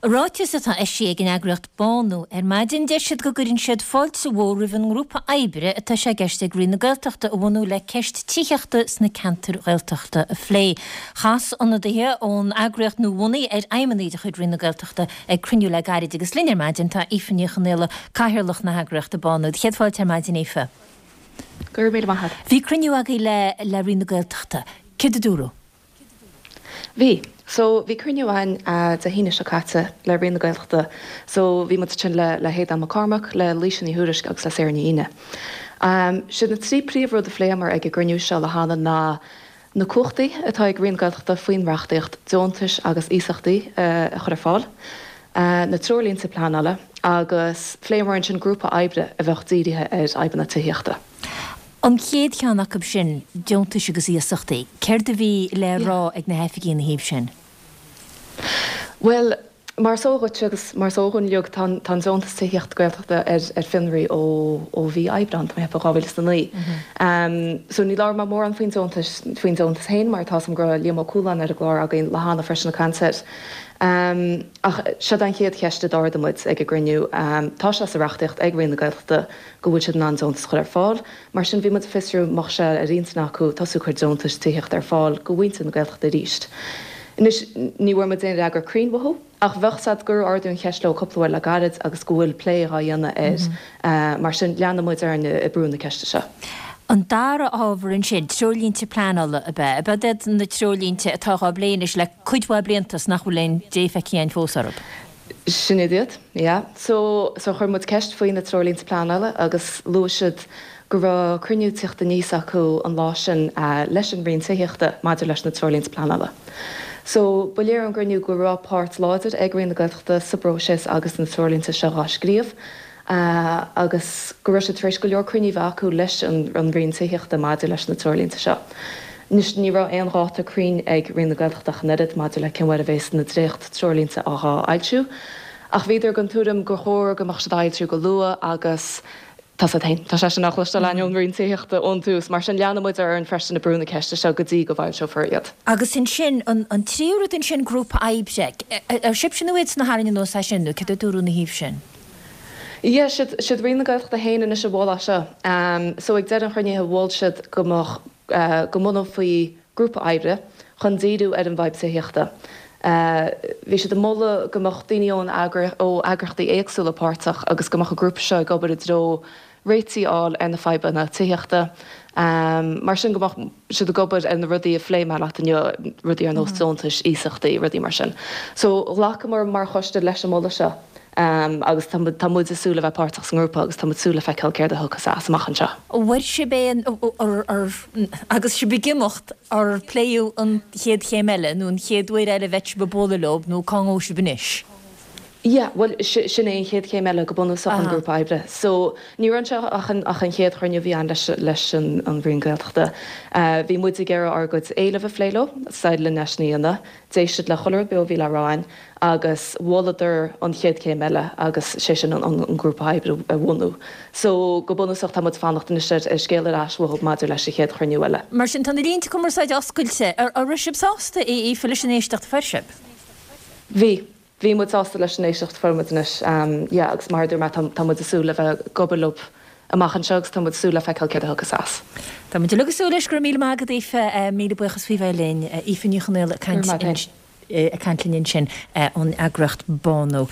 I ráiteas atá eisithe ag an eagraíocht Bánú ar maidin, deir siad go gcuireann siad fáilte mhór roimh an ngrúpa oibre atá sé i gceist ag Roinn na Gaeltachta a bhunú le ceist tithíochta sna ceantair Ghaeltachta a phlé. Chas ionadaithe ón eagraíocht nuabhunaithe ar fheidhmeannaigh de chuid Roinn na Gaeltachta ag cruinniú le gairid agus linn ar maidin tá Aoife Ní Chonaola, Cathaoirleach na heagraíochta Bánú. Céad fáilte ar maidin Aoife. Go raibh míle maith agat. Bhí cruinniú agaibh le le Roinn na Gaeltachta. Céard a dúradh? Bhí. So, bhí cruinniú againn Dé hAoine seo caite le Roinn na Gaeltachta. So, bhí muid ansin le le hAodán Mac Cormaic, le Laoise Ní Thuairisg agus le Sarah Ní Aoine. Siad na trí príomhrud a phléamar ag an gcruinniú seo le hAnna ná na cumhachtaí atá ag Roinn na Gaeltachta faoin reachtaíocht deontais agus iasachtaí a chur ar fáil, na treoirlínte pleanála agus phléamar ansin grúpa oibre a bheadh dírithe ar fhadhbanna tithíochta. An chéad cheann acu sin, deontais agus iasachtaí, céard a bhí le rá ag na hoifigigh ina thaobh sin? Bhuel, mar is eol dhuit agus mar is eol dúinn uilig, tá an deontas tithíochta Gaeltachta ar fionraí ó mhí Aibreán, tá mé ag ceapadh, 2009. So ní labhróidh mé mórán faoin deontas, faoin deontas féin mar tá 'fhios a'm go raibh Liam Ó Cualáin ar an gclár againn le hAnna freisin ag caint air. Ach seod an chéad cheist a d'ardaigh muid ag an gcruinniú. Tá sé sa reachtaíocht ag Roinn na Gaeltachta go bhfuil siad in ann deontas a chur ar fáil. Mar sin, bhí muid ag fiosrú an mbeadh sé ar intinn acu tosú ag cur deontais tithíochta ar fáil go mhuintir na Gaeltachta arís. Anois, ní bhfuair muid aon fhreagra cruinn uathu, ach bheadh 's a'd gur ardaíodh an cheist leo cúpla uair le gairid agus go bhfuil plé dhá dhéanamh air. Mar sin, leanfaidh muid orainn ag brú na ceiste seo. An dara hábhar ansin, treoirlínte pleanála, ab ea? Ab iad na treoirlínte atá dhá bplé anois le cuid mhaith blianta is nach bhfuil aon dé feicthe againn fós orthu? Sin iad iad, yeah. So, so chuir muid ceist faoi na treoirlínte pleanála agus luaigh siad go raibh cruinniú ag tíocht aníos acu an lá sin leis an Roinn Tithíochta maidir leis na treoirlínte pleanála. So, ba léir ón gcruinniú go raibh páirt láidir ag Roinn na Gaeltachta sa bpróiseas agus na treoirlínte seo dhá scríobh. agus go raibh siad tar éis go leor cruinnithe a bheith acu leis an Roinn Tithíochta maidir leis na treoirlínte seo. Anois, ní raibh aon dháta cruinn ag Roinn na Gaeltachta ach an oiread maidir le cén uair a bhéas na dréacht-treoirlínte á bhfoilsiú, ach bhíodar den tuairim gur chóir go mbeadh siad á bhfoilsiú go luath agus tá 's a'd féin, tá sé sin á chloisteáil againn ón Roinn Tithíochta ón tús, mar sin leanfaidh muid orainn freisin ag brú na ceiste seo go dtí go bhfoilseofar iad. Agus ansin, an tríú rud ansin, grúpa oibre. Ar sibhse nó iadsan a tharraing anuas é sin, nó céard a dúradh ina thaobh sin? Yeah, siad, siad Roinn na Gaeltachta féin anois a mhol é seo. So ag deireadh an chruinnithe mhol siad go mbeadh, go mbunófaí grúpa oibre chun díriú ar an bhfadhb tithíochta. Bhí siad ag moladh go mbeadh daoine ón ó eagraíochtaí éagsúla páirteach agus go mbeadh an grúpa seo ag obair i dtreo réitigh a fháil ar na fadhbanna tithíochta. Mar sin go mbeadh siad ag obair ar na rudaí a phléigh mé leat inniu, rudaí ar nós deontais, iasachtaí, rudaí mar sin. So ghlacamar mar choiste leis an moladh seo agus tá tá muid ag súil le bheith páirteach sa ngrúpa agus tá muid ag súil le feiceáil céard a thiocfas as amach anseo. Bhfuair sibh aon, agus sibh ag imeacht, ar pléadh an chéad chéim eile nó an chéad uair eile a bheidh sibh ag bualadh leo nó cá ngabhfaidh sibh anois? Yeah, bhuel, sin é an chéad chéim eile go bunúsach, an grúpa oibre. So, ní raibh anseo ach an, ach an chéad chruinniú a bhí ann leis, leis an, an Roinn Gaeltachta. Bhí muid ag iarraidh ár gcuid éileamh a phlé leo, is linn é sin a dhéanamh. D'éist siad le chuile rud beo a bhí le rá againn agus mholadar an chéad chéim eile agus sé sin an, an, an grúpa oibre a bhunú. So, go bunúsach tá muid ag fanacht anois ar, ar scéal ar ais uathu maidir leis an chéad chruinniú eile. Mar sin, tá na línte cumarsáide oscailte. An raibh sibh sásta, a Aoife, leis an éisteacht a fuair sibh? Bhí. Bhí muid sásta leis an éisteacht a fuair muid anois. Yeah, agus mar a dúirt mé, tá, tá muid ag súil le bheith ag obair leo amach anseo agus tá muid ag súil le feiceáil céard a thiocfas as. Tá muid uilig ag súil leis. Go raibh míle maith agat, Aoife. Míle buíochas faoi bheith linn. Aoife Ní Chonaola ag caint, ag caint linn ansin ón eagraíocht Bánú.